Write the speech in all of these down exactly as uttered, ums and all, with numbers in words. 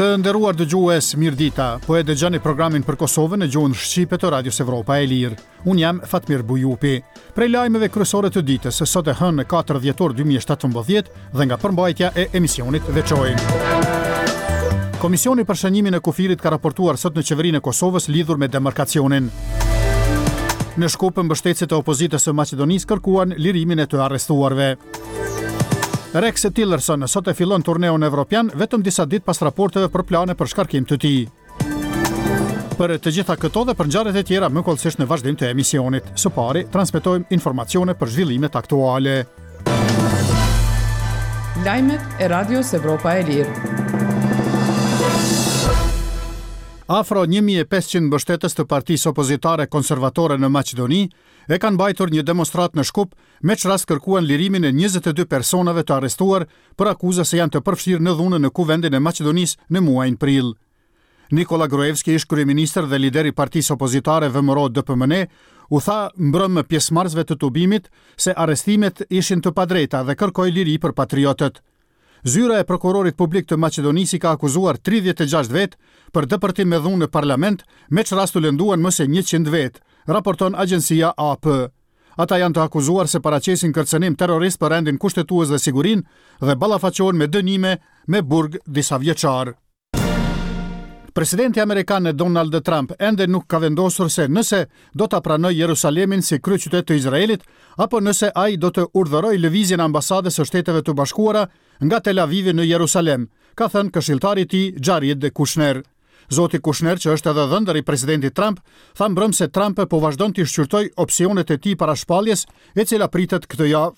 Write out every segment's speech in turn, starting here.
Të nderuar dëgjues, mirëdita. Po e dëgjoni programin për Kosovën në gjuhën shqipe të Radios Evropa e Lirë. Unë jam Fatmir Bujupi. Prej lajmeve kryesore të ditës, sot e hënë katër dhjetor dy mijë e shtatëmbëdhjetë dhe nga përmbajtja e emisionit veçojmë: Komisioni për shënjimin e kufirit ka raportuar sot në Qeverinë e Kosovës lidhur me demarkacionin. Në Shkup, mbështetësit e opozitës së Maqedonisë kërkuan lirimin e të arrestuarve. Rex Tillerson sot e fillon turneun evropian, vetëm disa ditë pas raporteve për plane për shkarkim të tij. Për të gjitha këto dhe për ngjarjet e tjera më hollësisht në vazhdim të emisionit. Së pari, transmetojmë informacione për zhvillimet aktuale. Lajmet e Radios Evropa e Lirë. Afro një mijë e pesëqind mbështetës të partisë opozitare konservatore në Maqedoni e kanë mbajtur një demonstratë në Shkup, me ç'rast kërkuan lirimin e njëzet e dy personave të arrestuar për akuza se janë të përfshirë në dhunën në Kuvendin e Maqedonisë në muajin prill. Nikola Gruevski, ish kryeministër dhe lider i partisë opozitare V M R O D P M N, u tha mbrëmë pjesëmarrësve të tubimit se arrestimet ishin të padrejta dhe kërkoi liri për patriotët. Zyra e prokurorit publik të Maqedonisë i ka akuzuar tridhjetë e gjashtë vetë për depërtim me dhunë në parlament, me ç'rast u lënduan më se njëqind vetë, raporton agjencia A P. Ata janë të akuzuar se paraqesin kërcënim terrorist për rendin kushtetues dhe sigurinë dhe ballafaqohen me dënime me burg disa vjeçar. Presidenti amerikan Donald Trump ende nuk ka vendosur se nëse do ta pranojë Jerusalemin si kryeqytet të Izraelit apo nëse ai do të urdhërojë lëvizjen e ambasadës së Shteteve të Bashkuara nga Tel Avivi në Jerusalem, ka thënë këshilltari i tij Jared Kushner. Zoti Kushner, që është edhe dhëndër i presidentit Trump, tha mbrëm se Trump po vazhdon të shqyrtojë opsionet e tij para shpalljes, e cila pritet këtë javë.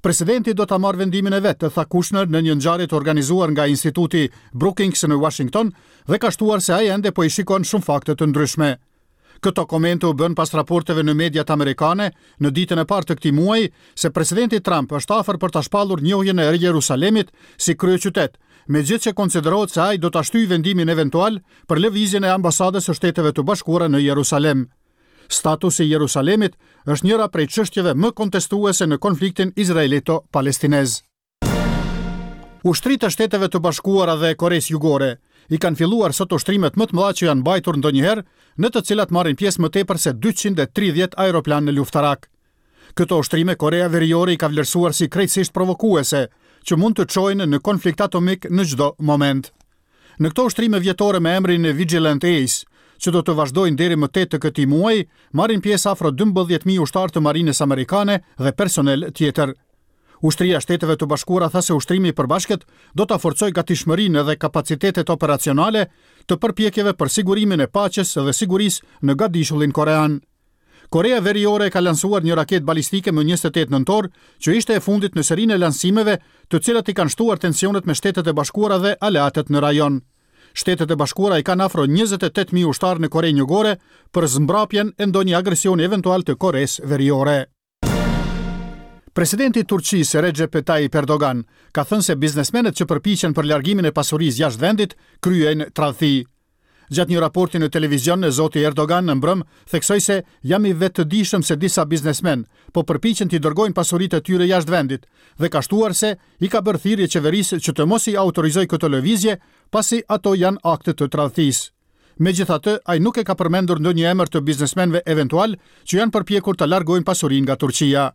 "Presidenti do ta marrë vendimin e vet", tha Kushner në një ngjarje të organizuar nga Instituti Brookings në Washington dhe ka shtuar se ai ende po i shikon shumë fakte të ndryshme. Këto komente u bën pas raporteve në mediat amerikane në ditën e parë të këtij muaji se presidenti Trump është afër për ta shpallur njohjen e Jerusalemit si kryeqytet, megjithëse konsiderohet se ai do ta shtyjë vendimin eventual për lëvizjen e ambasadës së Shteteve të Bashkuara në Jerusalem. Statusi i Jerusalemit është njëra prej çështjeve më kontestuese në konfliktin izraelito-palestinez. Ushtritë e Shteteve të Bashkuara dhe Koresë Jugore i kanë filluar sot ushtrimet më të mëdha që janë mbajtur ndonjëherë, në të cilat marrin pjesë më tepër se dyqind e tridhjetë aeroplanë luftarak. Këto ushtrime Korea Veriore i ka vlerësuar si krejtësisht provokuese, që mund të çojnë në konflikt atomik në çdo moment. Në këto ushtrime vjetore me emrin Vigilant Ace, që do të vazhdojnë deri më tetë të këtij muaji, marrin pjesë afro dymbëdhjetë mijë ushtarë të marinës amerikane dhe personel tjetër. Ushtria e Shteteve të Bashkuara tha se ushtrimi i përbashkët do ta forcojë gatishmërinë dhe kapacitetet operacionale të përpjekjeve për sigurimin e paqes dhe sigurisë në gadishullin korean. Korea Veriore ka lansuar një raketë balistike më njëzet e tetë nëntor, që ishte e fundit në serinë e lansimeve, të cilat i kanë shtuar tensionet me Shtetet e Bashkuara dhe aleatët në rajon. Shtetet e Bashkuara i kanë afro njëzet e tetë mijë ushtarë në Korenë Jugore për zmbrapjen e ndonjë agresioni eventual të Koresë Veriore. Presidenti i Turqisë Recep Tayyip Erdogan ka thënë se biznesmenët që përpiqen për largimin e pasurisë jashtë vendit kryejnë tradhti. Gjatë një raporti në televizion, zoti Erdogan në mbrëm theksoi se jam i vetëdijshëm se disa biznesmen po përpiqen t'i dërgojnë pasuritë e tyre jashtë vendit dhe ka shtuar se i ka bërë thirrje qeverisë që të mos i autorizojë këto lëvizje, pasi ato janë akte të tradhtisë. Megjithatë, ai nuk e ka përmendur ndonjë emër të biznesmenëve eventual që janë përpjekur të largojnë pasurinë nga Turqia.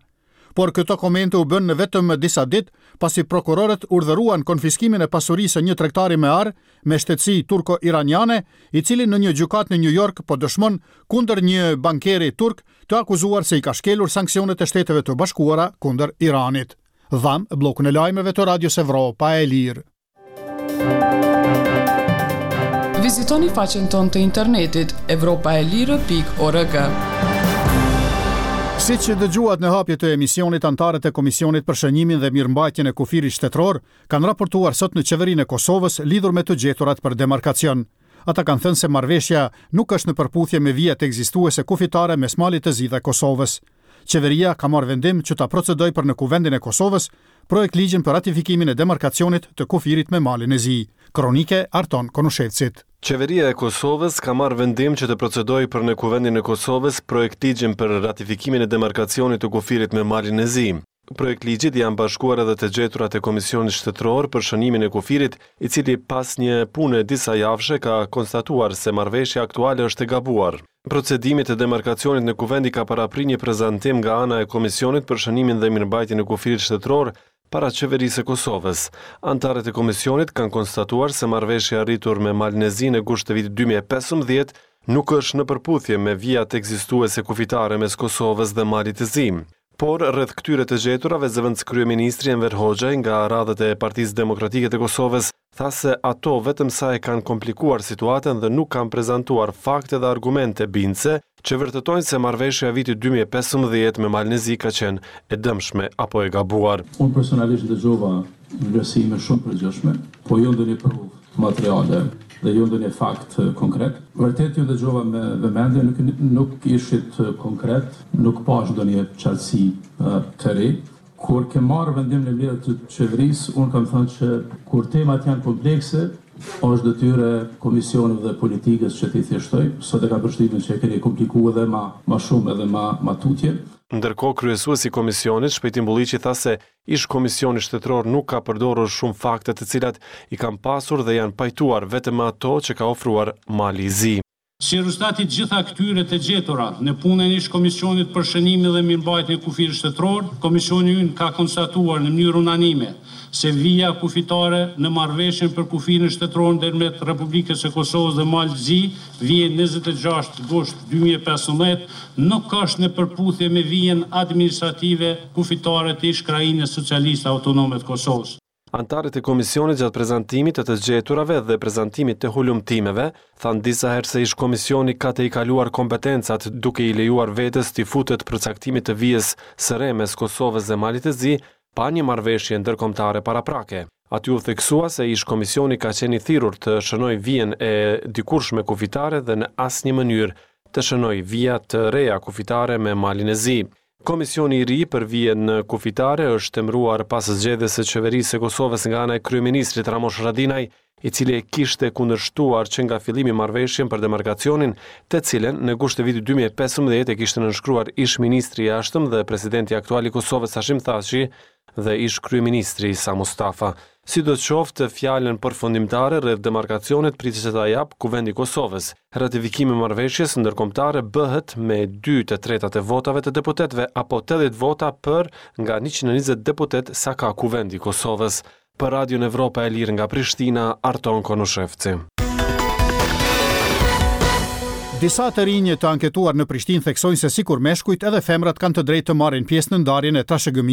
Por këto komente u bënë në vetëm disa ditë pasi prokurorët urdhëruan konfiskimin e pasurisë së një tregtari me ar me shtetësi turko-iraniane, i cili në një gjykatë në New York po dëshmon kundër një bankeri turk të akuzuar se i ka shkelur sanksionet e Shteteve të Bashkuara kundër Iranit. Dham bllokun e lajmeve të Radios Evropa e Lirë. Vizitoni faqen tonë të internetit evropaelire pikë org. Si që dëgjuat në hapje të emisionit, anëtarët e Komisionit për shënjimin dhe mirëmbajtjen e kufirit shtetëror kanë raportuar sot në Qeverinë e Kosovës lidhur me të gjeturat për demarkacion. Ata kanë thënë se marrëveshja nuk është në përputhje me vijat ekzistuese kufitare mes Malit të Zi dhe Kosovës. Qeveria ka marrë vendim që ta procedojë për në Kuvendin e Kosovës projekt ligjin për ratifikimin e demarkacionit të kufirit me Malin e Zi. Kronike Arton Konushevcit. Qeveria e Kosovës ka marrë vendim që të procedojë për në Kuvendin e Kosovës projekt ligjin për ratifikimin e demarkacionit të kufirit me Malin e Zi. Projektligjit janë bashkuar edhe të gjeturat e Komisionit Shtetëror për shënimin e kufirit, i cili pas një pune disa javëshe ka konstatuar se marrëveshja aktuale është e gabuar. Procedimit të demarkacionit në Kuvend i ka parapri një prezantim nga ana e Komisionit për shënimin dhe mirëmbajtjen e kufirit shtetëror para qeverisë së Kosovës. Anëtarët e komisionit kanë konstatuar se marrëveshja arritur me Malin e Zi në gusht të vitit dy mijë e pesëmbëdhjetë nuk është në përputhje me vijat ekzistuese kufitare mes Kosovës dhe Malit të Zi. Por, rreth këtyre të gjeturave, zëvendëskryeministri Enver Hoxhaj nga radhët e Partisë Demokratike të Kosovës tha se ato vetëm sa e kanë komplikuar situatën dhe nuk kanë prezantuar fakte dhe argumente bindëse që vërtetojnë se marrëveshja e vitit dy mijë e pesëmbëdhjetë me Malin e Zi ka qenë e dëmshme apo e gabuar. Unë personalisht dëgjova vlerësime shumë përgjithshme, po jo ndonjë provë materiale dhe jo ndonjë fakt konkret. Vërtet ju dëgjova me vëmendje, nuk, nuk ishit konkret, nuk pash ndonjë qartësi të re. Kur ke marrë vendim në mbledhje të qeverisë, unë kam thënë që kur temat janë komplekse, është detyrë e komisioneve dhe politikës që t'i thjeshtoj. Sot e kam përshtypjen që e keni komplikuar edhe ma, ma shumë edhe ma, ma tutje. Ndërkohë, kryesuesi i komisionit, Shpejtim Bulliqi, tha se ish komisioni shtetëror nuk ka përdorur shumë fakte të cilat i kanë pasur dhe janë pajtuar vetëm me ato që ka ofruar Mali i Zi. Si rezultat i gjitha këtyre të gjetura në punën e ish komisionit për shënimin dhe mirëmbajtjen e kufirit shtetëror, komisioni ynë ka konstatuar në mënyrë unanime se vija kufitare në marrëveshjen për kufirin shtetëror ndërmjet Republikës së Kosovës dhe Malit të Zi, vije njëzet e gjashtë gusht dy mijë e pesëmbëdhjetë, nuk është në përputhje me vijën administrative kufitare të ish Krahinës Socialiste Autonome të Kosovës. Anëtarët e komisionit gjatë prezantimit të të gjeturave dhe prezantimit të hulumtimeve thanë disa herë se ish komisioni ka të i kaluar kompetencat duke i lejuar vetes t'i futet përcaktimit të vijës së re mes Kosovës dhe Malit të Zi pa një marrëveshje ndërkombëtare paraprake. Aty u theksua se ish komisioni ka qenë i thirrur të shënojë vijën e dikurshme kufitare dhe në asnjë mënyrë të shënojë vija të reja kufitare me Malin e Zi. Komisioni i ri për vijën kufitare është emëruar pas zgjedhjes së qeverisë së Kosovës nga ana e kryeministrit Ramush Haradinaj, i cili e kishte kundërshtuar që nga fillimi marrëveshjen për demarkacionin, të cilën në gusht të vitit dy mijë e pesëmbëdhjetë e kishte nënshkruar ish ministri i jashtëm dhe presidenti aktual i Kosovës Hashim Thaçi dhe ish kryeministri Isa Mustafa. Sidoqoftë, fjalën përfundimtare rreth demarkacionit pritet që ta jap Kuvendi i Kosovës. Ratifikimi i marrëveshjes ndërkombëtare bëhet me dy të tretat e votave të deputetëve apo tetëdhjetë vota për nga njëqind e njëzet deputet sa ka Kuvendi i Kosovës. Për Radion Evropa e Lirë nga Prishtina, Arton Konushevci. Disa të rinj të anketuar në Prishtinë theksojnë se sikur meshkujt edhe femrat kanë të drejtë të marrin pjesë në ndarjen e trashëgimisë